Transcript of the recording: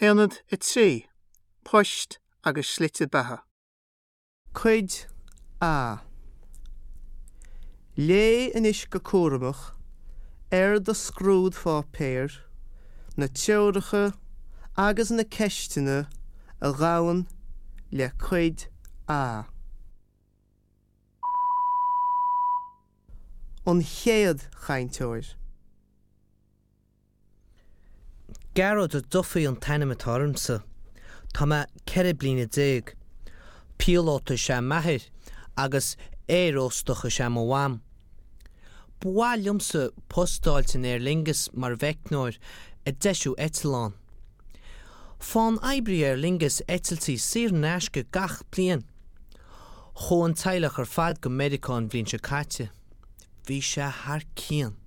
Aonad 3, Poist agus Slite Beatha. Cuid A. Léigh anois go cúramach ar do scrúdpháipéar na treoracha agus na ceisteanna a ghabhann le Cuid A. An chéad chainteoir. Gearóid Ó Dufaigh an t-ainm atá ormsa. Tá mé 14 bliana. Píolóta is ea m'athair agus aeróstach is ea mo mham. Ba mhaith liomsa post a fháilt in Aer Lingus mar mheicneoir ag deisiú eitleán. Faigheann oibrithe Aer Lingus eitiltí saor in aisce gach bliain. Chuaigh an teaghlach ar fad go Meiriceá an bhliain seo caite. Bhí sé thar cionn.